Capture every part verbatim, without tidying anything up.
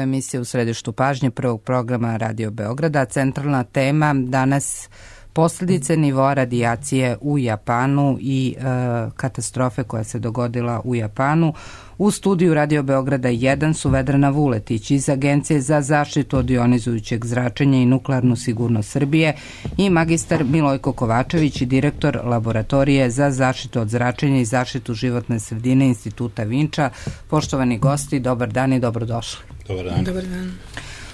je emisija U središtu pažnje prvog programa Radio Beograda. Centralna tema danas posljedice nivoa radijacije u Japanu i e, katastrofe koja se dogodila u Japanu. U studiju Radio Beograda jedan su Vedrana Vuletić iz Agencije za zaštitu od ionizujućeg zračenja i nuklearnu sigurnost Srbije i magistar Milojko Kovačević i direktor Laboratorije za zaštitu od zračenja i zaštitu životne sredine Instituta Vinča. Poštovani gosti, dobar dan i dobrodošli. Dobar dan. Dobar dan.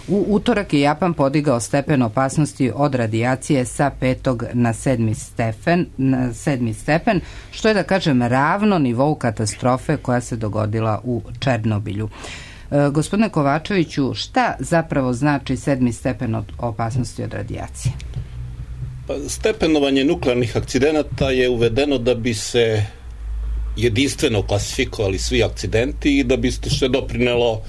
U utorak je Japan podigao stepen opasnosti od radijacije sa petog na sedmi stepen, na sedmi stepen, što je da kažem ravno nivou katastrofe koja se dogodila u Černobilju. E, gospodine Kovačeviću, šta zapravo znači sedmi stepen od opasnosti od radijacije? Pa, stepenovanje nuklearnih akcidenata je uvedeno da bi se jedinstveno klasifikovali svi akcidenti i da bi se doprinelo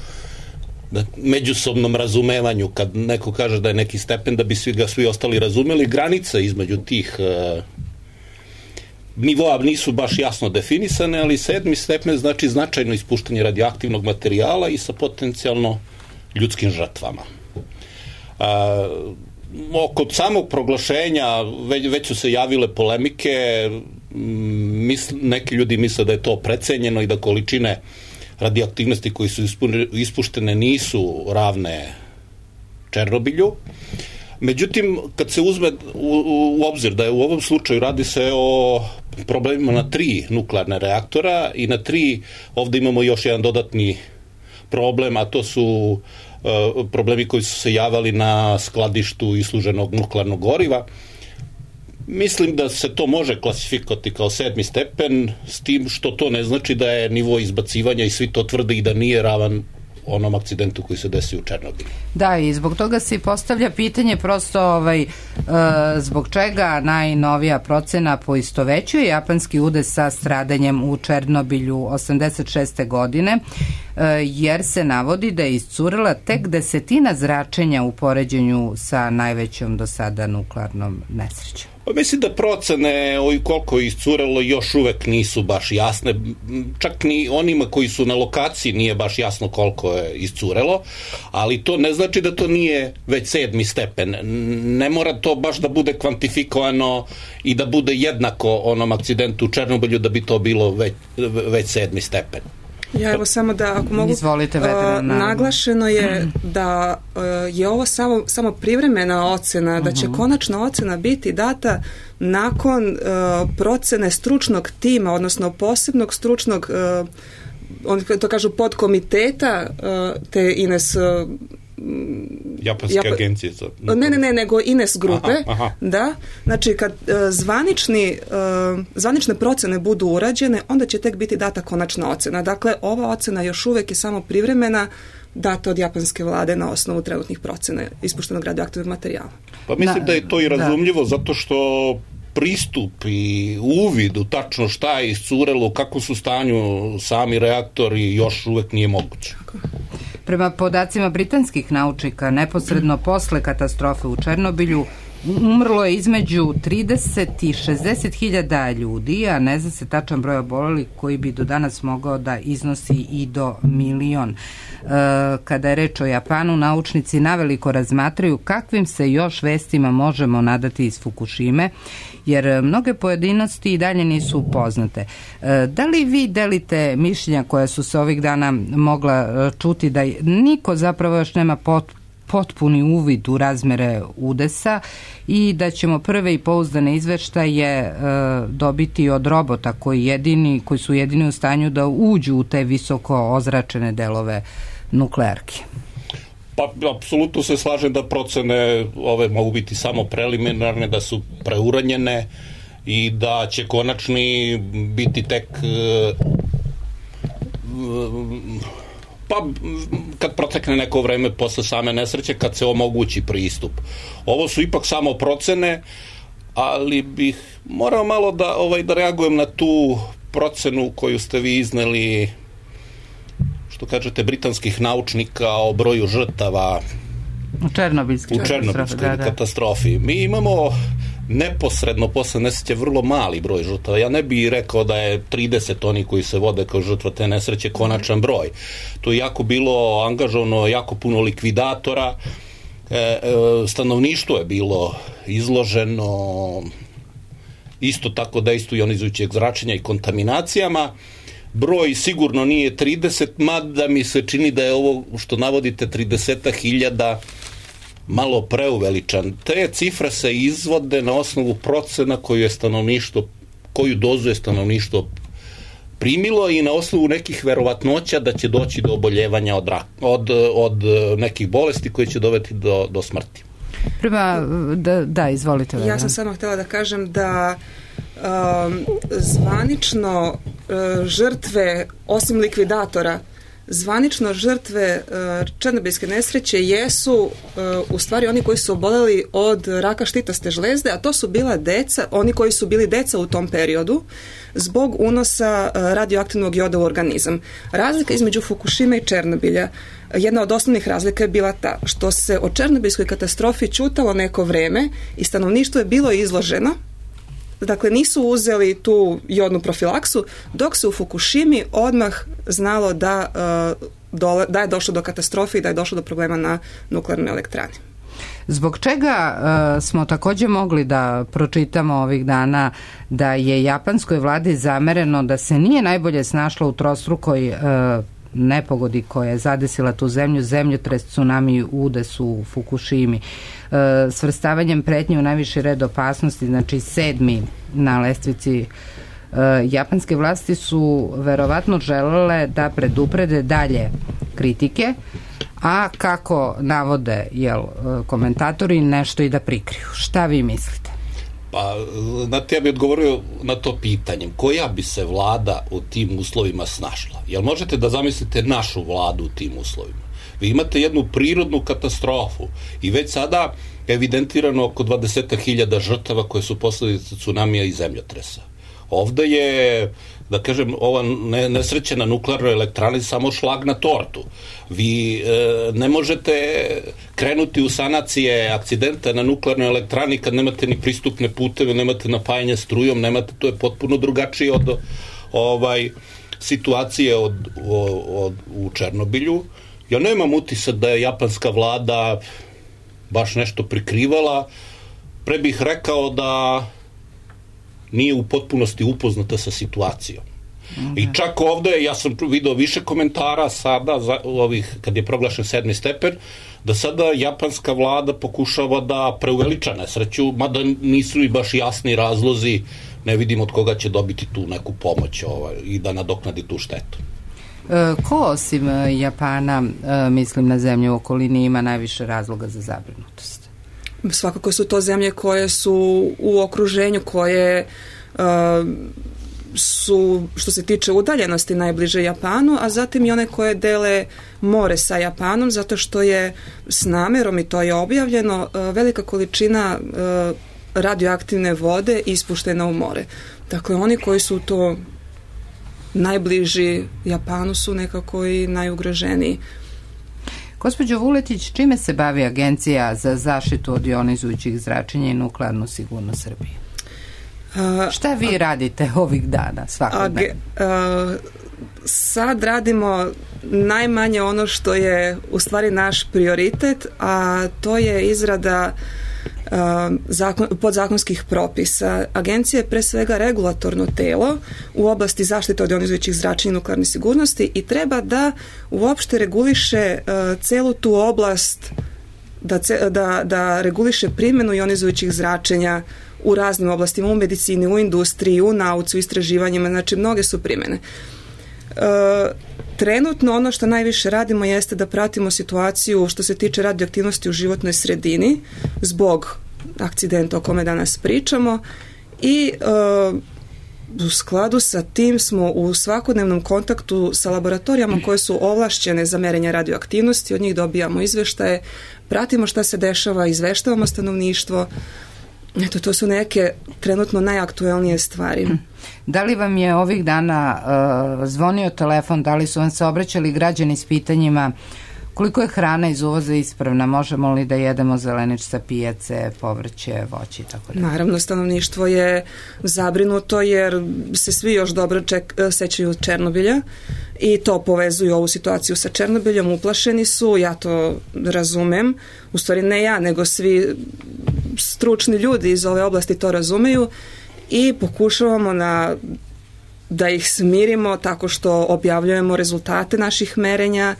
da međusobnom razumevanju, kad neko kaže da je neki stepen, da bi svi ga svi ostali razumeli. Granice između tih e, nivoa nisu baš jasno definisane, ali sedmi stepen znači značajno ispuštanje radioaktivnog materijala i sa potencijalno ljudskim žrtvama. A, oko samog proglašenja već, već su se javile polemike, misl, neki ljudi misle da je to precenjeno i da količine radioaktivnosti koji su ispuštene nisu ravne Černobilju. Međutim, kad se uzme u, u obzir da je u ovom slučaju radi se o problemima na tri nuklearne reaktora i na tri, ovdje imamo još jedan dodatni problem, a to su uh, problemi koji su se javali na skladištu isluženog nuklearnog goriva. Mislim da se to može klasifikovati kao sedmi stepen, s tim što to ne znači da je nivo izbacivanja i svi to tvrde i da nije ravan onom akcidentu koji se desi u Černobilu. Da, i zbog toga se postavlja pitanje prosto ovaj, e, zbog čega najnovija procena poistovećuje japanski udes sa stradanjem u Černobilju osamdeset šeste godine, e, jer se navodi da je iscurila tek desetina zračenja u poređenju sa najvećom do sada nuklearnom nesrećom. Pa mislim da procene o koliko je iscurelo još uvek nisu baš jasne. Čak ni onima koji su na lokaciji nije baš jasno koliko je iscurelo, ali to ne znači da to nije već sedmi stepen. Ne mora to baš da bude kvantifikovano i da bude jednako onom akcidentu u Černobilju da bi to bilo već, već sedmi stepen. Ja evo samo da ako mogu, Izvolite, Vedrana, uh, naglašeno je da uh, je ovo samo, samo privremena ocena, da će uh-huh. konačna ocena biti data nakon uh, procene stručnog tima, odnosno posebnog stručnog uh, oni to kažu podkomiteta uh, te Ines uh, Japanske Jap- agencije za... Ne, ne, ne, nego Ines grupe. Aha, aha. Da, znači kad uh, zvanični, uh, zvanične procene budu urađene, onda će tek biti data konačna ocena. Dakle, ova ocena još uvek je samo privremena, data od japanske vlade na osnovu trenutnih procena ispuštenog radioaktivnog materijala. Pa mislim da, da je to i razumljivo, da. Zato što pristup i uvid u tačno šta je iscurelo, u kakvom su stanju sami reaktori još uvek nije moguće. Prema podacima britanskih naučnika, neposredno posle katastrofe u Černobilju umrlo je između trideset i šezdeset hiljada ljudi, a ne zna se tačan broj obolelih koji bi do danas mogao da iznosi i do milion. E, kada je reč o Japanu, naučnici naveliko razmatraju kakvim se još vestima možemo nadati iz Fukushime, jer mnoge pojedinosti i dalje nisu poznate. E, da li vi delite mišljenja koja su se ovih dana mogla čuti da niko zapravo još nema pot potpuni uvid u razmere udesa i da ćemo prve i pouzdane izveštaje e, dobiti od robota koji, jedini, koji su jedini u stanju da uđu u te visoko ozračene delove nuklearke? Pa, apsolutno se slažem da procene ove mogu biti samo preliminarne, da su preuranjene i da će konačni biti tek e, pa kad protekne neko vreme posle same nesreće, kad se omogući pristup. Ovo su ipak samo procene, ali bih morao malo da, ovaj, da reagujem na tu procenu koju ste vi izneli, što kažete, britanskih naučnika o broju žrtava u Černobilskoj u Černobilskoj katastrofi. Mi imamo neposredno posle nesreće vrlo mali broj žrtava. Ja ne bih rekao da je trideset oni koji se vode kao žrtva te nesreće konačan broj. To je jako bilo angažovano, jako puno likvidatora, e, e, stanovništvo je bilo izloženo isto tako dejstvu ionizujućeg zračenja i kontaminacijama. Broj sigurno nije trideset, mada mi se čini da je ovo što navodite trideset hiljada malo preuveličan. Te cifre se izvode na osnovu procena koju je stanovništvo, koju dozu je stanovništvo primilo i na osnovu nekih verovatnoća da će doći do oboljevanja od, od, od nekih bolesti koje će dovesti do, do smrti. Prema, da, da izvolite. Vedra. Ja sam samo htjela da kažem da um, zvanično uh, žrtve, osim likvidatora, zvanično žrtve uh, černobilske nesreće jesu uh, u stvari oni koji su oboleli od raka štitaste žlezde, a to su bila deca, oni koji su bili deca u tom periodu zbog unosa uh, radioaktivnog joda u organizam. Razlika između Fukushime i Černobilja, jedna od osnovnih razlika je bila ta što se o černobilskoj katastrofi ćutalo neko vreme i stanovništvo je bilo izloženo. Dakle, nisu uzeli tu jodnu profilaksu, dok se u Fukushimi odmah znalo da, uh, dole, da je došlo do katastrofe i da je došlo do problema na nuklearnoj elektrani. Zbog čega uh, smo također mogli da pročitamo ovih dana da je japanskoj vladi zamereno da se nije najbolje snašla u trostrukoj uh, nepogodi koja je zadesila tu zemlju, zemljotres, tsunami, udes u Fukushimi, e, svrstavanjem pretnje u najviši red opasnosti, znači sedmi na lestvici. E, japanske vlasti su verovatno želele da preduprede dalje kritike, a kako navode jel, komentatori, nešto i da prikriju. Šta vi mislite? Pa, znate, ja bih odgovorio na to pitanjem. Koja bi se vlada u tim uslovima snašla? Jel možete da zamislite našu vladu u tim uslovima? Vi imate jednu prirodnu katastrofu i već sada evidentirano oko dvadeset hiljada žrtava koje su posledice tsunamija i zemljotresa. Ovde je, da kažem, ova nesreća na nuklearnoj elektrani samo šlag na tortu. Vi e, ne možete krenuti u sanacije akcidenta na nuklearnoj elektrani kad nemate ni pristupne puteve, nemate napajanje strujom, nemate, to je potpuno drugačije od ovaj, situacije od, od, od, u Černobilju. Ja nemam utisak da je japanska vlada baš nešto prikrivala. Pre bih rekao da nije u potpunosti upoznata sa situacijom. Mm-hmm. I čak ovde, ja sam video više komentara sada, za ovih, kad je proglašen sedmi stepen, da sada japanska vlada pokušava da preuveliča nesreću, mada nisu i baš jasni razlozi, ne vidim od koga će dobiti tu neku pomoć ovaj, i da nadoknadi tu štetu. E, ko osim Japana, e, mislim na zemlje u okolini, ima najviše razloga za zabrinutost? Svakako su to zemlje koje su u okruženju, koje uh, su, što se tiče udaljenosti, najbliže Japanu, a zatim i one koje dele more sa Japanom, zato što je s namerom, i to je objavljeno, uh, velika količina uh, radioaktivne vode ispuštena u more. Dakle, oni koji su to najbliži Japanu su nekako i najugroženiji. Gospođo Vuletić, čime se bavi Agencija za zaštitu od ionizujućih zračenja i nuklearnu sigurnost Srbije? Uh, Šta vi a, radite ovih dana svakodnevno? Uh, sad radimo najmanje ono što je u stvari naš prioritet, a to je izrada Zakon, podzakonskih propisa. Agencija je pre svega regulatorno telo u oblasti zaštite od ionizujućih zračenja i nuklearne sigurnosti i treba da uopšte reguliše uh, celu tu oblast, da, da, da reguliše primjenu ionizujućih zračenja u raznim oblastima, u medicini, u industriji, u nauci, u istraživanjima, znači mnoge su primjene. Uh, Trenutno ono što najviše radimo jeste da pratimo situaciju što se tiče radioaktivnosti u životnoj sredini zbog akcidenta o kome danas pričamo i uh, u skladu sa tim smo u svakodnevnom kontaktu sa laboratorijama koje su ovlašćene za merenje radioaktivnosti, od njih dobijamo izveštaje, pratimo šta se dešava, izveštavamo stanovništvo. Eto, to su neke trenutno najaktuelnije stvari. Da li vam je ovih dana uh, zvonio telefon, da li su vam se obraćali građani s pitanjima Koliko je hrana iz uvoza ispravna? Možemo li da jedemo zelenič sa pijace, povrće, voće i tako da? Naravno, stanovništvo je zabrinuto jer se svi još dobro ček, sećaju Černobilja i to povezuju ovu situaciju sa Černobiljom, uplašeni su, ja to razumem, u stvari ne ja, nego svi stručni ljudi iz ove oblasti to razumeju i pokušavamo na da ih smirimo tako što objavljujemo rezultate naših merenja,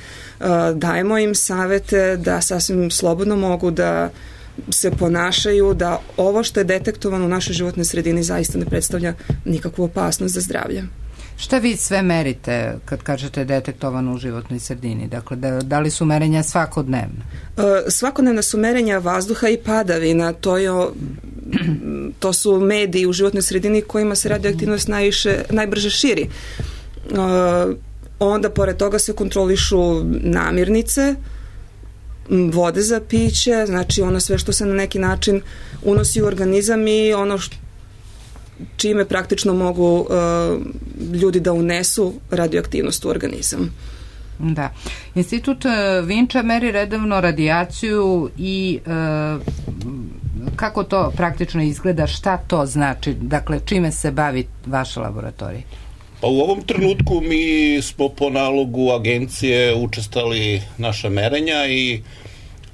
dajemo im savete da sasvim slobodno mogu da se ponašaju, da ovo što je detektovano u našoj životnoj sredini zaista ne predstavlja nikakvu opasnost za zdravlje. Šta vi sve merite kad kažete detektovano u životnoj sredini? Dakle, da, da li su merenja svakodnevna? E, svakodnevna su merenja vazduha i padavina. To, je, to su mediji u životnoj sredini kojima se radioaktivnost najviše, najbrže širi. E, onda, pored toga, se kontrolišu namirnice, vode za piće, znači ono sve što se na neki način unosi u organizam i ono što čime praktično mogu uh, ljudi da unesu radioaktivnost u organizam. Da. Institut Vinča meri redovno radijaciju i uh, kako to praktično izgleda, šta to znači, dakle čime se bavi vaša laboratorija? Pa u ovom trenutku mi smo po nalogu agencije učestali naša merenja i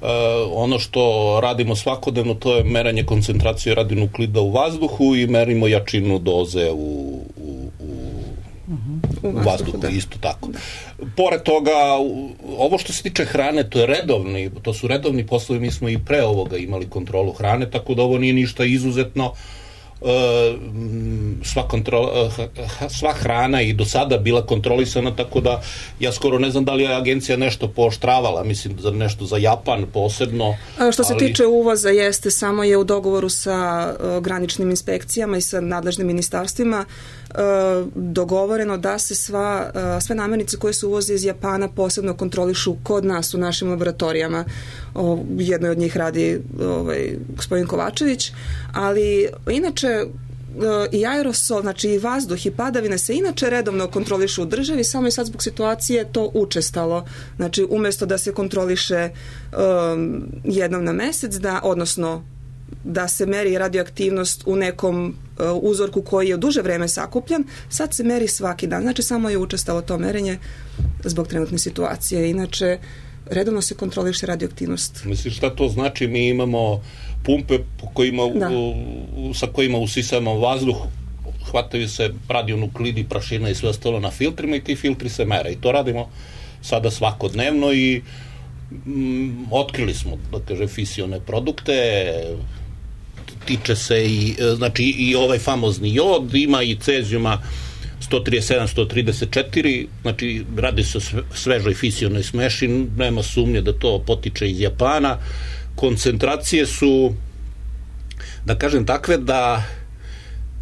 Uh, ono što radimo svakodnevno to je meranje koncentracije radionuklida u vazduhu i merimo jačinu doze u, u, u, uh-huh. u vazduhu, da. Isto tako. Da. Pored toga, ovo što se tiče hrane, to je redovni, to su redovni poslovi, mi smo i pre ovoga imali kontrolu hrane, tako da ovo nije ništa izuzetno. Sva, kontrola, sva hrana i do sada bila kontrolisana, tako da ja skoro ne znam da li je agencija nešto pooštravala, mislim za nešto za Japan posebno. A što se ali... tiče uvoza, jeste, samo je u dogovoru sa uh, graničnim inspekcijama i sa nadležnim ministarstvima uh, dogovoreno da se sva, uh, sve namirnice koje se uvoze iz Japana posebno kontrolišu kod nas u našim laboratorijama. O, jednoj od njih radi ovaj, gospodin Kovačević, ali inače i aerosol, znači i vazduh i padavine se inače redovno kontrolišu u državi, samo je sad zbog situacije to učestalo. Znači umjesto da se kontroliše um, jednom na mesec, da, odnosno da se meri radioaktivnost u nekom uh, uzorku koji je u duže vreme sakupljan, sad se meri svaki dan. Znači samo je učestalo to merenje zbog trenutne situacije. Inače redovno se kontroliše radioaktivnost. Misliš šta to znači? Mi imamo pumpe po kojima, u, sa kojima usisamo vazduh, hvataju se radionuklidi, prašina i sve ostalo na filtrima i ti filtri se mere. I to radimo sada svakodnevno i mm, otkrili smo, da kaže, fisione produkte, tiče se i, znači, i ovaj famozni jod, ima i cezijuma sto trideset sedam sto trideset četiri, znači radi se o svežoj fisionoj smeši, nema sumnje da to potiče iz Japana. Koncentracije su, da kažem, takve da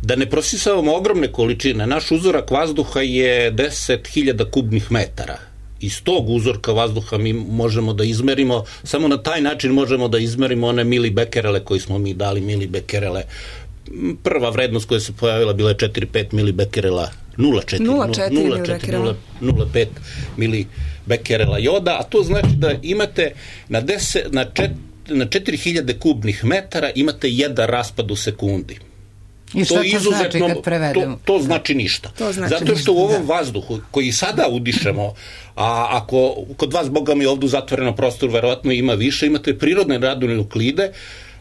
da ne prosisavamo ogromne količine. Naš uzorak vazduha je deset hiljada kubnih metara. Iz tog uzorka vazduha mi možemo da izmerimo, samo na taj način možemo da izmerimo one milibekerele koji smo mi dali, milibekerele. Prva vrednost koja se pojavila bila je četiri zarez pet milibekerela, nula zarez pet milibekerela joda, a to znači da imate na, deset, na, čet, na četiri hiljade kubnih metara imate jedan raspad u sekundi. I šta to, to znači kad prevedemo? To, to znači ništa. To znači Zato što ništa, u ovom da. vazduhu koji sada udišemo, a ako kod vas, Boga mi, ovdje u zatvorenom prostoru verovatno ima više, imate prirodne radionuklide,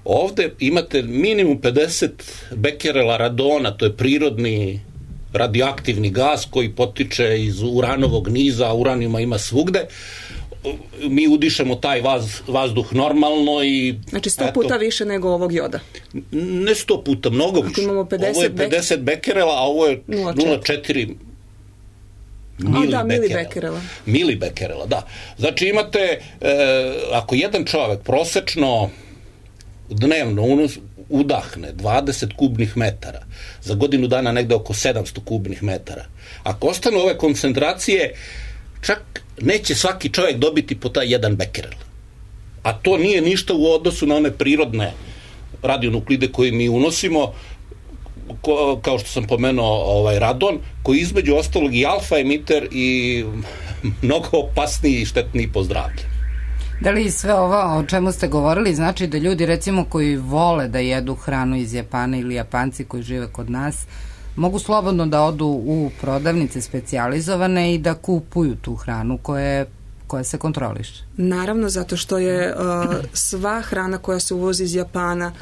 ovde imate minimum pedeset bekerela radona, to je prirodni radioaktivni gas koji potiče iz uranovog niza, a uranijuma ima svugde. Mi udišemo taj vaz, vazduh normalno i... Znači sto eto, puta više nego ovog joda. Ne sto puta, mnogo više. Imamo pedeset ovo je pedeset bek... bekerela, a ovo je nula zarez četiri milibekerela. milibekerela. Milibekerela, da. Znači imate, e, ako jedan čovek prosečno dnevno unos, udahne dvadeset kubnih metara, za godinu dana negde oko sedamsto kubnih metara. Ako ostanu ove koncentracije, čak neće svaki čovjek dobiti po taj jedan bekerel. A to nije ništa u odnosu na one prirodne radionuklide koje mi unosimo, ko, kao što sam pomenuo ovaj radon, koji između ostalog i alfa emiter i mnogo opasniji i štetniji po zdravlje. Da li sve ovo o čemu ste govorili znači da ljudi recimo koji vole da jedu hranu iz Japana ili Japanci koji žive kod nas mogu slobodno da odu u prodavnice specijalizovane i da kupuju tu hranu koja je koja se kontroliše? Naravno, zato što je uh, sva hrana koja se uvozi iz Japana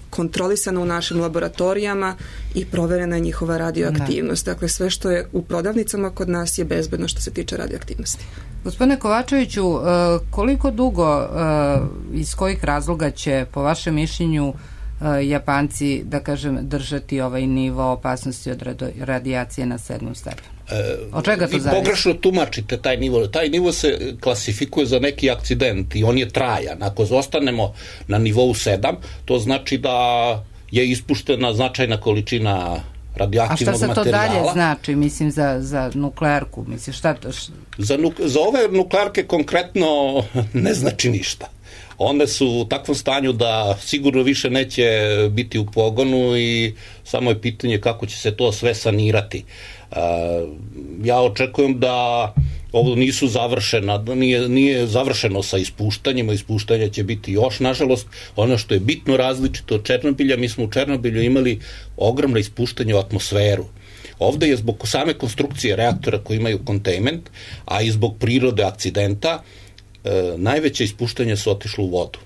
kontrolisana u našim laboratorijama i proverena je njihova radioaktivnost. Da. Dakle, sve što je u prodavnicama kod nas je bezbedno što se tiče radioaktivnosti. Gospodine Kovačeviću, uh, koliko dugo, uh, iz kojih razloga će, po vašem mišljenju, Japanci, da kažem, držati ovaj nivo opasnosti od radijacije na sedmom stepenu? Od čega to zavisi? Vi pogrešno tumačite taj nivo. Taj nivo se klasifikuje za neki akcident i on je trajan. Ako ostanemo na nivou sedam, to znači da je ispuštena značajna količina radioaktivnog materijala. A šta se to dalje znači, mislim, za, za nuklearku? Mislim, šta to? Za, nuk, za ove nuklearke konkretno ne znači ništa. One su u takvom stanju da sigurno više neće biti u pogonu i samo je pitanje kako će se to sve sanirati. Ja očekujem da ovo nisu završena, da nije, nije završeno sa ispuštanjima, ispuštanja će biti još, nažalost. Ono što je bitno različito od Černobilja, mi smo u Černobilju imali ogromno ispuštanje u atmosferu. Ovde je zbog same konstrukcije reaktora koji imaju containment, a i zbog prirode akcidenta, E, najveće ispuštanje su otišlo u vodu.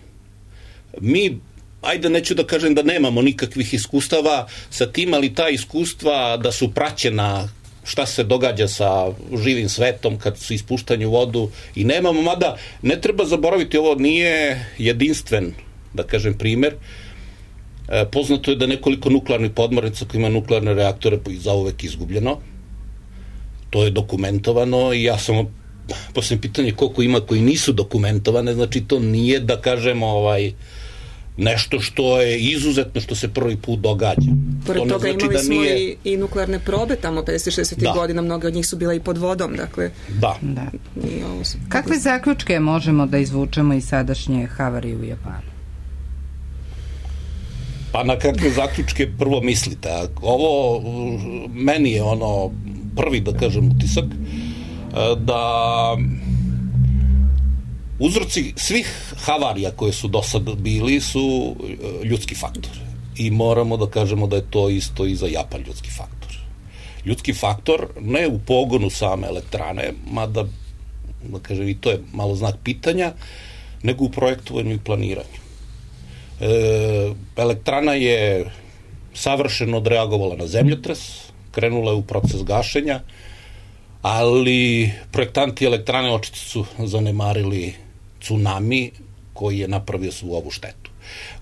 Mi, ajde neću da kažem da nemamo nikakvih iskustava sa tim, ali ta iskustva da su praćena šta se događa sa živim svetom kad su ispuštanje u vodu i nemamo, mada ne treba zaboraviti, ovo nije jedinstven, da kažem, primer. E, poznato je da nekoliko nuklearnih podmornica koji ima nuklearne reaktore zauvek izgubljeno. To je dokumentovano i ja sam posljedno pitanje koliko ima koji nisu dokumentovane, znači to nije, da kažemo, ovaj, nešto što je izuzetno, što se prvi put događa. Pored to toga znači imali da smo nije... i, i nuklearne probe tamo pedesetih šezdesetih godina, mnoge od njih su bila i pod vodom, dakle. Da. da. Ovo su... Kakve zaključke možemo da izvučemo iz sadašnje havarije u Japanu? Pa na kakve zaključke prvo mislite? Ovo meni je ono prvi, da kažem, utisak da uzroci svih havarija koje su do sada bili su ljudski faktor. I moramo da kažemo da je to isto i za Japan ljudski faktor. Ljudski faktor ne u pogonu same elektrane, mada, da kažem, i to je malo znak pitanja, nego u projektovanju i planiranju. E, elektrana je savršeno odreagovala na zemljotres, krenula je u proces gašenja, ali projektanti elektrane očito su zanemarili tsunami koji je napravio svu ovu štetu.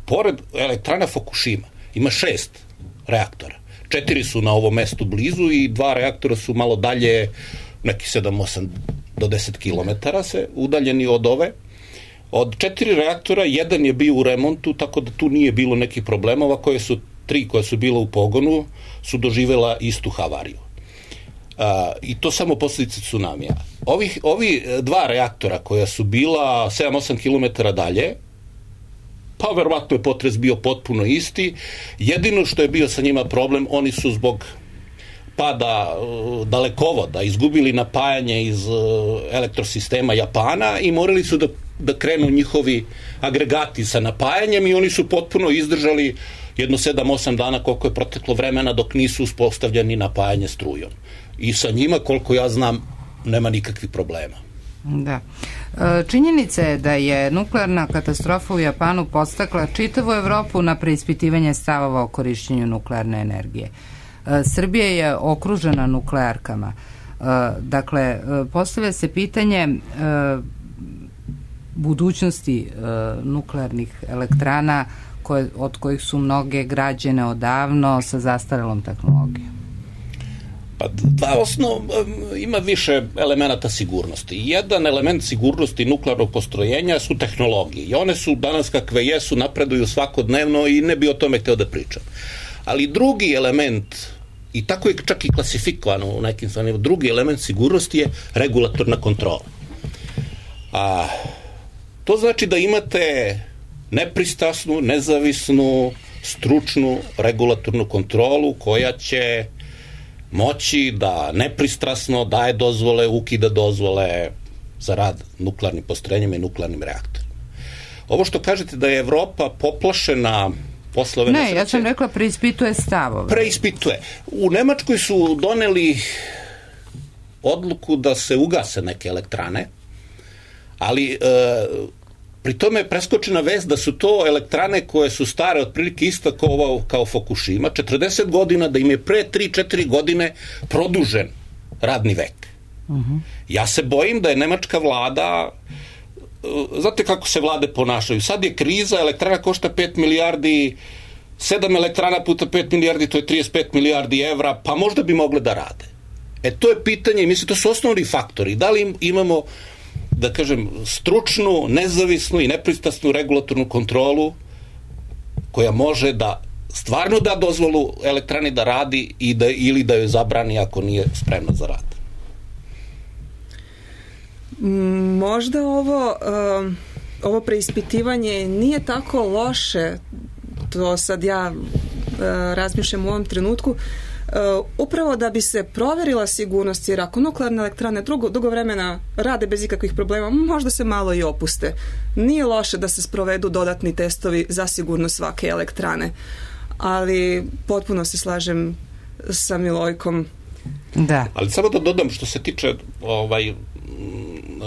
Pored elektrana Fukushima ima šest reaktora. Četiri su na ovom mestu blizu i dva reaktora su malo dalje, neki sedam osam do deset kilometara se udaljeni od ove. Od četiri reaktora jedan je bio u remontu, tako da tu nije bilo nekih problema. Ova koje su, tri koja su bila u pogonu su doživela istu havariju. Uh, i to samo posljedice tsunamija. Ovih, ovi dva reaktora koja su bila sedam osam kilometara dalje, pa verovatno je potres bio potpuno isti. Jedino što je bio sa njima problem, oni su zbog pada uh, dalekovoda izgubili napajanje iz uh, elektrosistema Japana i morali su da, da krenu njihovi agregati sa napajanjem i oni su potpuno izdržali jedno sedam osam dana koliko je proteklo vremena dok nisu uspostavljeni napajanje strujom. I sa njima, koliko ja znam, nema nikakvih problema. Da. Činjenica je da je nuklearna katastrofa u Japanu podstakla čitavu Evropu na preispitivanje stavova o korišćenju nuklearne energije. Srbija je okružena nuklearkama. Dakle, postavlja se pitanje budućnosti nuklearnih elektrana koje, od kojih su mnoge građene odavno sa zastarelom tehnologijom. Pa dva osnov, ima više elemenata sigurnosti. Jedan element sigurnosti nuklearnog postrojenja su tehnologije. I one su danas kakve jesu, napreduju svakodnevno i ne bi o tome hteo da pričam. Ali drugi element, i tako je čak i klasifikovano u nekim stvarima, drugi element sigurnosti je regulatorna kontrola. A, to znači da imate nepristrasnu, nezavisnu, stručnu regulatornu kontrolu koja će moći da nepristrasno daje dozvole, ukida dozvole za rad nuklearnim postrojenjima i nuklearnim reaktorima. Ovo što kažete da je Evropa poplašena posle ove ne, nesreće... Ne, ja sam rekla preispituje stavove. Preispituje. U Nemačkoj su doneli odluku da se ugase neke elektrane, ali... E, pri tome je preskočena vest da su to elektrane koje su stare otprilike isto kao, kao Fukushima, četrdeset godina, da im je pre tri četiri godine produžen radni vek. Uh-huh. Ja se bojim da je nemačka vlada, znate kako se vlade ponašaju, sad je kriza, elektrana košta pet milijardi, sedam elektrana puta pet milijardi, to je trideset pet milijardi evra, pa možda bi mogle da rade. E to je pitanje, mislim, to su osnovni faktori. Da li imamo, da kažem, stručnu, nezavisnu i nepristrasnu regulatornu kontrolu koja može da stvarno da dozvolu elektrani da radi i da, ili da joj zabrani ako nije spremna za rad. Možda ovo, um, ovo preispitivanje nije tako loše, to sad ja uh, razmišljam u ovom trenutku, Uh, upravo da bi se proverila sigurnost, jer ako nuklearne elektrane dugo, dugo vremena rade bez ikakvih problema, možda se malo i opuste. Nije loše da se sprovedu dodatni testovi za sigurnost svake elektrane, ali potpuno se slažem sa Milojkom. Da. Ali samo da dodam što se tiče ovaj,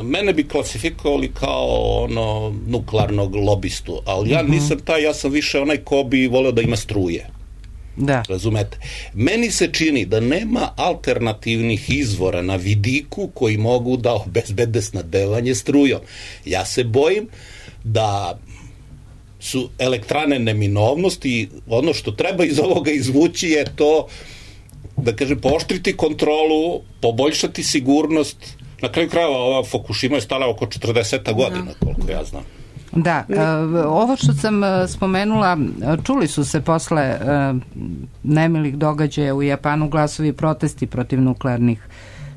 mene bi klasifikovali kao ono nuklearnog lobistu, ali ja nisam taj, ja sam više onaj ko bi voleo da ima struje. Da. Razumete? Meni se čini da nema alternativnih izvora na vidiku koji mogu da obezbede snabdevanje strujom. Ja se bojim da su elektrane neminovnost i ono što treba iz ovoga izvući je to, da kažem, pooštriti kontrolu, poboljšati sigurnost. Na kraju krajeva ova Fukushima je stala oko četrdeset godina, koliko ja znam. Da, ovo što sam spomenula, čuli su se posle nemilih događaja u Japanu glasovi protesti protiv nuklearnih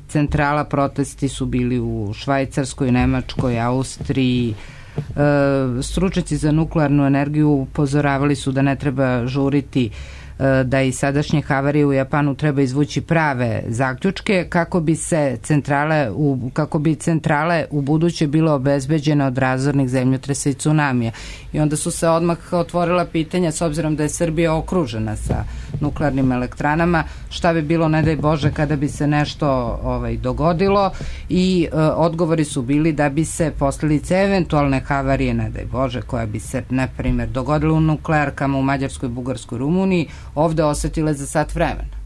centrala, protesti su bili u Švajcarskoj, Nemačkoj, Austriji. Stručnjaci za nuklearnu energiju upozoravali su da ne treba žuriti, da i sadašnje havarije u Japanu treba izvući prave zaključke kako bi se centrale u, kako bi centrale u buduće bilo obezbeđene od razornih zemljotresa i tsunamija. I onda su se odmah otvorila pitanja, s obzirom da je Srbija okružena sa nuklearnim elektranama, šta bi bilo, ne daj Bože, kada bi se nešto ovaj, dogodilo, i e, odgovori su bili da bi se posljedice eventualne havarije, ne daj Bože, koja bi se, na primjer, dogodila u nuklearkama u Mađarskoj, Bugarskoj, Rumuniji, ovde osetile za sat vremena.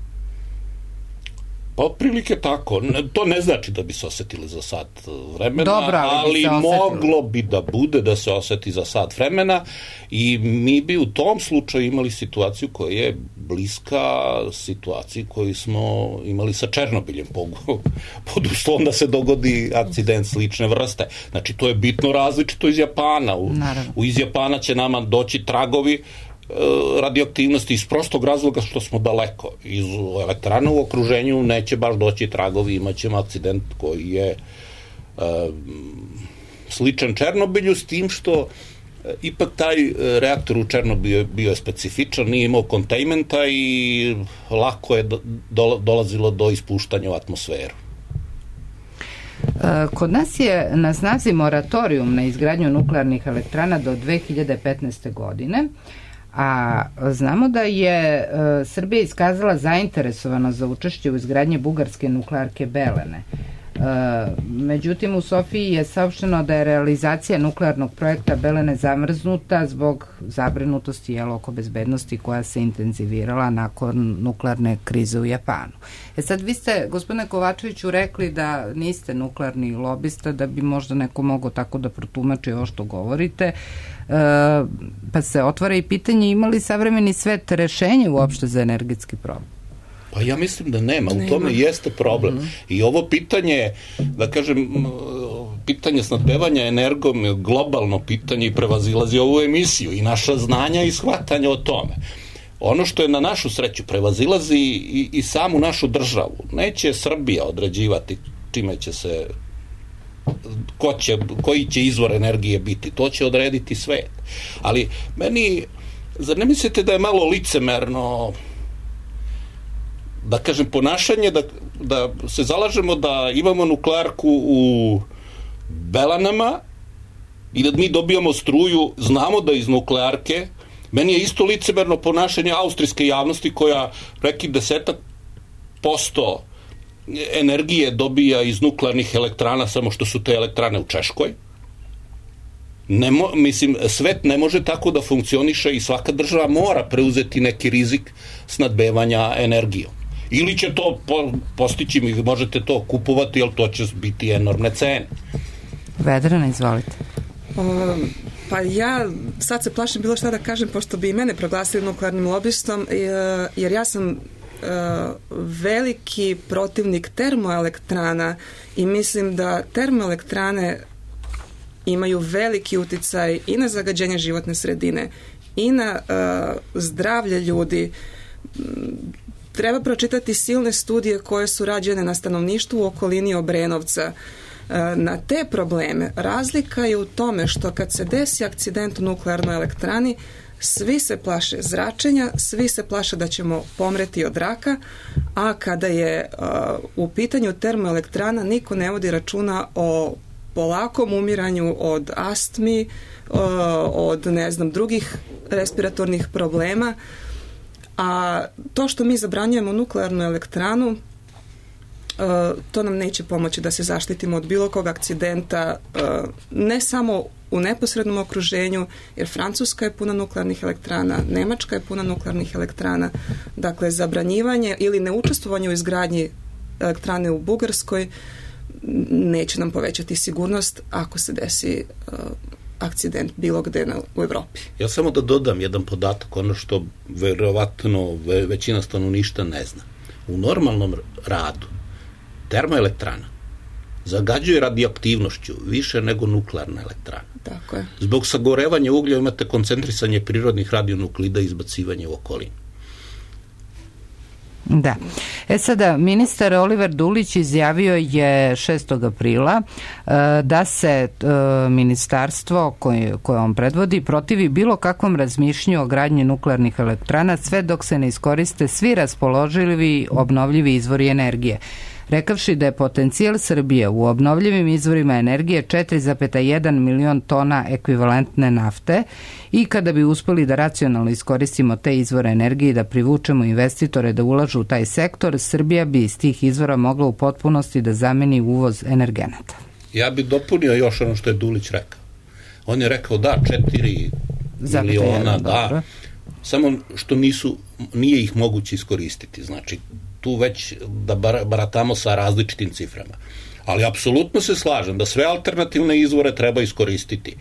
Pa otprilike tako. To ne znači da bi se osetili za sat vremena, Dobro, ali, ali bi moglo bi da bude da se oseti za sat vremena i mi bi u tom slučaju imali situaciju koja je bliska situaciji koju smo imali sa Černobiljem pod uslovom da se dogodi akcident slične vrste. Znači, to je bitno različito iz Japana. U, u iz Japana će nama doći tragovi radioaktivnosti iz prostog razloga što smo daleko. Iz elektrana u okruženju neće baš doći tragovi, imat ćemo akcident koji je e, sličan Černobilju, s tim što e, ipak taj reaktor u Černobilju bio je specifičan, nije imao kontajmenta i lako je do, do, dolazilo do ispuštanja u atmosferu. Kod nas je na snazi moratorijum na izgradnju nuklearnih elektrana do dve hiljade petnaeste. godine, a znamo da je e, Srbija iskazala zainteresovanost za učešće u izgradnji bugarske nuklearke Belene. E, međutim, u Sofiji je saopšteno da je realizacija nuklearnog projekta Belene zamrznuta zbog zabrinutosti jel, oko bezbednosti koja se intenzivirala nakon nuklearne krize u Japanu. E sad, vi ste, gospodine Kovačeviću, rekli da niste nuklearni lobista, da bi možda neko mogao tako da protumači ovo što govorite, e, pa se otvara i pitanje ima li savremeni svet rešenje uopšte za energetski problem? Pa ja mislim da nema, u tome jeste problem. Mm-hmm. I ovo pitanje, da kažem, pitanje snabdevanja energijom je globalno pitanje i prevazilazi ovu emisiju i naša znanja i shvatanja o tome. Ono što je na našu sreću prevazilazi i, i samu našu državu. Neće Srbija određivati čime će se, ko će, koji će izvor energije biti. To će odrediti svet. Ali meni, zar ne mislite da je malo licemerno, da kažem, ponašanje da, da se zalažemo da imamo nuklearku u belanama i da mi dobijamo struju, znamo da iz nuklearke. Meni je isto licemerno ponašanje austrijske javnosti koja reki desetak posto energije dobija iz nuklearnih elektrana, samo što su te elektrane u Češkoj. Ne mo, mislim, svet ne može tako da funkcioniše i svaka država mora preuzeti neki rizik snadbevanja energijom. Ili će to po, postići, možete to kupovati, ali to će biti enormne cene. Vedrana, izvolite. Um, pa ja sad se plašim bilo šta da kažem, pošto bi i mene proglasili nuklearnim lobistom, jer ja sam uh, veliki protivnik termoelektrana i mislim da termoelektrane imaju veliki uticaj i na zagađenje životne sredine i na uh, zdravlje ljudi. Treba pročitati silne studije koje su rađene na stanovništvu u okolini Obrenovca. Na te probleme razlika je u tome što kad se desi akcident u nuklearnoj elektrani, svi se plaše zračenja, svi se plaše da ćemo pomreti od raka, a kada je uh, u pitanju termoelektrana, niko ne vodi računa o polakom umiranju od astmi, uh, od ne znam drugih respiratornih problema. A to što mi zabranjujemo nuklearnu elektranu, Uh, to nam neće pomoći da se zaštitimo od bilo kog akcidenta, uh, ne samo u neposrednom okruženju, jer Francuska je puna nuklearnih elektrana, Nemačka je puna nuklearnih elektrana. Dakle, zabranjivanje ili neučestvovanje u izgradnji elektrane u Bugarskoj neće nam povećati sigurnost ako se desi uh, akcident bilo gde na, u Evropi. Ja samo da dodam jedan podatak, ono što verovatno ve, većina stanovništva ne zna. U normalnom radu termoelektrana zagađuje radioaktivnošću više nego nuklearna elektrana. Tako je. Zbog sagorevanja uglja imate koncentrisanje prirodnih radionuklida i izbacivanje u okolinu. Da. E sada, ministar Oliver Dulić izjavio je šestog aprila da se ministarstvo koje, koje on predvodi protivi bilo kakvom razmišljanju o gradnji nuklearnih elektrana sve dok se ne iskoriste svi raspoloživi obnovljivi izvori energije. Rekavši da je potencijal Srbije u obnovljivim izvorima energije četiri zarez jedan milion tona ekvivalentne nafte i kada bi uspeli da racionalno iskoristimo te izvore energije i da privučemo investitore da ulažu u taj sektor, Srbija bi iz tih izvora mogla u potpunosti da zameni uvoz energenata. Ja bih dopunio još ono što je Dulić rekao. On je rekao da, četiri miliona, da, samo što nisu, nije ih moguće iskoristiti. Znači, tu već da baratamo sa različitim ciframa. Ali apsolutno se slažem da sve alternativne izvore treba iskoristiti.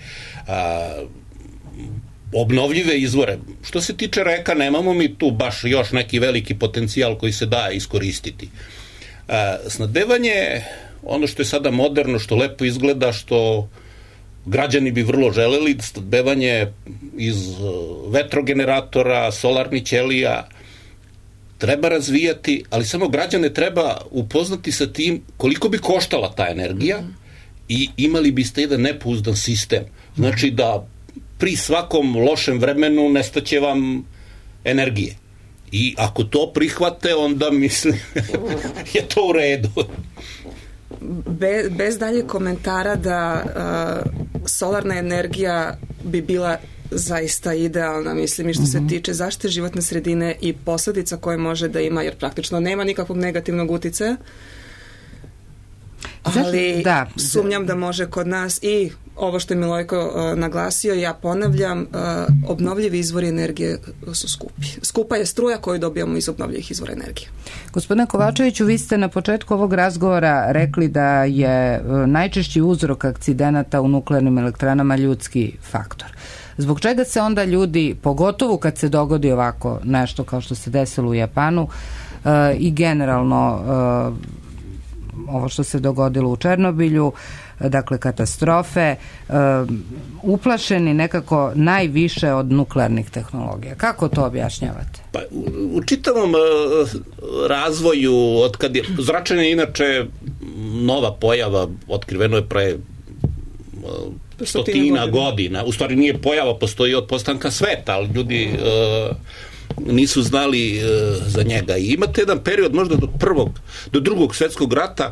A, obnovljive izvore. Što se tiče reka, nemamo mi tu baš još neki veliki potencijal koji se da iskoristiti. A, snadbevanje, ono što je sada moderno, što lepo izgleda, što građani bi vrlo želeli, snadbevanje iz vetrogeneratora, solarnih ćelija, treba razvijati, ali samo građane treba upoznati sa tim koliko bi koštala ta energija i imali biste jedan nepouzdan sistem. Znači da pri svakom lošem vremenu nestaće vam energije. I ako to prihvate, onda mislim je to u redu. Be, bez dalje komentara da uh, solarna energija bi bila zaista idealna, mislim, i što se tiče zaštite životne sredine i posledica koje može da ima, jer praktično nema nikakvog negativnog uticaja, ali da, sumnjam da može kod nas i ovo što je Milojko uh, naglasio, ja ponavljam, uh, obnovljivi izvori energije su skupi. Skupa je struja koju dobijamo iz obnovljivih izvora energije. Gospodine Kovačeviću, vi ste na početku ovog razgovora rekli da je uh, najčešći uzrok akcidenata u nuklearnim elektranama ljudski faktor. Zbog čega se onda ljudi, pogotovo kad se dogodi ovako nešto kao što se desilo u Japanu uh, i generalno uh, ovo što se dogodilo u Černobilju, dakle katastrofe, uh, uplašeni nekako najviše od nuklearnih tehnologija. Kako to objašnjavate? Pa, u, u čitavom uh, razvoju, od kad je zračenje inače nova pojava, otkriveno je pre uh, stotina godina. godina. U stvari nije pojava, postoji od postanka sveta, ali ljudi uh, nisu znali uh, za njega. I imate jedan period možda do prvog, do drugog svetskog rata,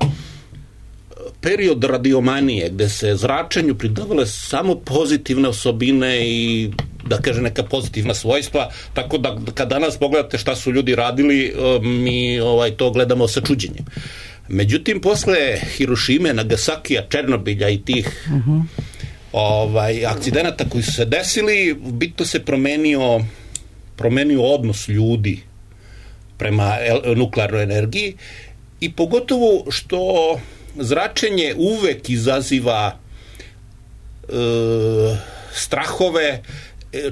period radiomanije, gde se zračenju pridavale samo pozitivne osobine i da kaže neka pozitivna svojstva, tako da kad danas pogledate šta su ljudi radili, mi ovaj, to gledamo sa čuđenjem. Međutim, posle Hirošime, Nagasakija, Černobilja i tih uh-huh. ovaj, akcidenata koji su se desili, bitno se promenio, promenio odnos ljudi prema nuklearnoj energiji i pogotovo što zračenje uvek izaziva e, strahove,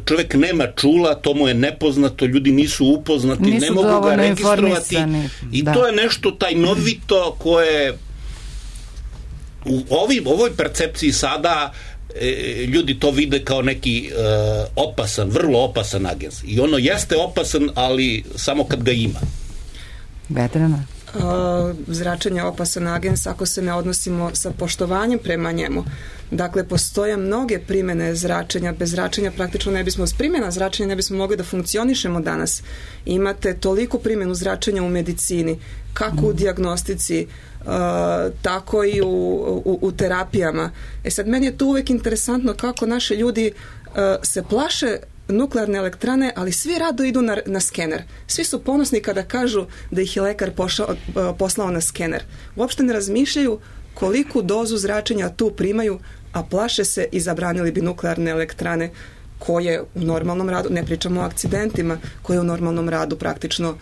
čovjek nema čula, to mu je nepoznato, ljudi nisu upoznati, nisu ne mogu ga registrovati i da. To je nešto tajnovito koje u ovim, ovoj percepciji sada e, ljudi to vide kao neki e, opasan, vrlo opasan agens i ono jeste opasan, ali samo kad ga ima. Vetrana? Uh, zračenje opasan agens ako se ne odnosimo sa poštovanjem prema njemu. Dakle, postoje mnoge primene zračenja. Bez zračenja praktično ne bismo, s primjena zračenja ne bismo mogli da funkcionišemo danas. Imate toliko primjenu zračenja u medicini, kako u dijagnostici, uh, tako i u, u, u terapijama. E sad, meni je to uvek interesantno kako naši ljudi uh, se plaše nuklearne elektrane, ali svi rado idu na, na skener. Svi su ponosni kada kažu da ih je lekar pošao, poslao na skener. Uopšte ne razmišljaju koliku dozu zračenja tu primaju, a plaše se i zabranili bi nuklearne elektrane koje u normalnom radu, ne pričamo o akcidentima, koje u normalnom radu praktično.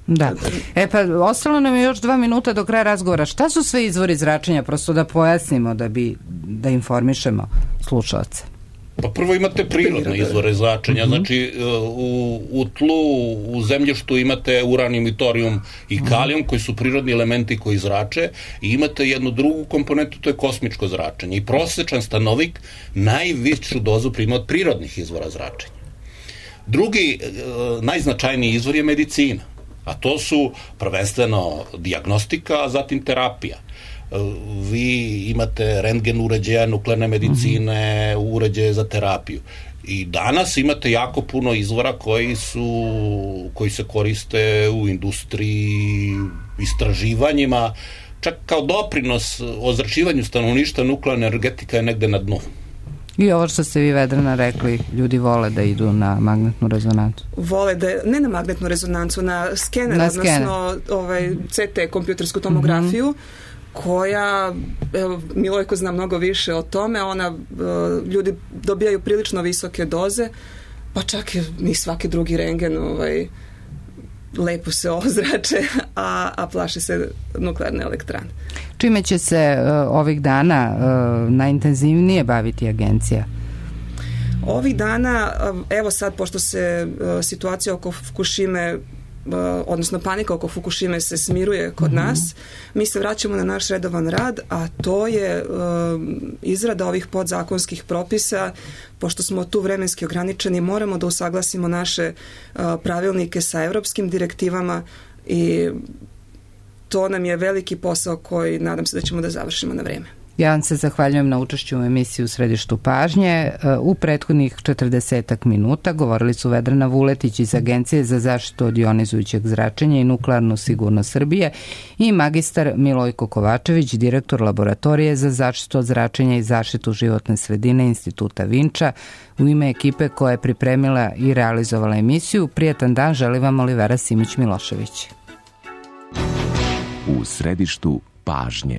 Da. E pa, ostalo nam je još dva minuta do kraja razgovora. Šta su sve izvori zračenja, prosto da pojasnimo, da bi, da informišemo slušalce? Pa prvo imate prirodne izvore zračenja, uh-huh. znači u, u tlu, u zemljištu imate uranijum i torijum i kalijum koji su prirodni elementi koji zrače i imate jednu drugu komponentu, to je kosmičko zračenje i prosječan stanovnik najvišu dozu prima od prirodnih izvora zračenja. Drugi, najznačajniji izvor je medicina, a to su prvenstveno dijagnostika, a zatim terapija. Vi imate rentgen uređaja, nuklearne medicine, mm-hmm. uređaje za terapiju. I danas imate jako puno izvora koji su koji se koriste u industriji, istraživanjima, čak kao doprinos ozračivanju stanovništva, nuklearna energetika je negde na dnu. I ovo što ste vi, Vedrana, rekli, ljudi vole da idu na magnetnu rezonancu. Vole da, ne na magnetnu rezonancu, na skener, na skener. Odnosno ovaj, C T, kompjutersku tomografiju, mm-hmm. koja, evo, Milojko zna mnogo više o tome, ona, ljudi dobijaju prilično visoke doze, pa čak ni svaki drugi rentgen ovaj, lepo se ozrače, a, a plaši se nuklearne elektrane. Čime će se uh, ovih dana uh, najintenzivnije baviti agencija? Ovih dana, evo sad, pošto se uh, situacija oko Fukushime, odnosno panika oko Fukushime se smiruje kod mm-hmm. nas, mi se vraćamo na naš redovan rad, a to je uh, izrada ovih podzakonskih propisa. Pošto smo tu vremenski ograničeni, moramo da usaglasimo naše uh, pravilnike sa evropskim direktivama i to nam je veliki posao koji nadam se da ćemo da završimo na vreme. Ja vam se zahvaljujem na učešću u emisiji U središtu pažnje. U prethodnih četrdesetak minuta govorili su Vedrana Vuletić iz Agencije za zaštitu od ionizujućeg zračenja i nuklearnu sigurnost Srbije i magistar Milojko Kovačević, direktor laboratorije za zaštitu od zračenja i zaštitu životne sredine Instituta Vinča. U ime ekipe koja je pripremila i realizovala emisiju, prijatan dan želi vam Olivera Simić-Milošević. U središtu pažnje.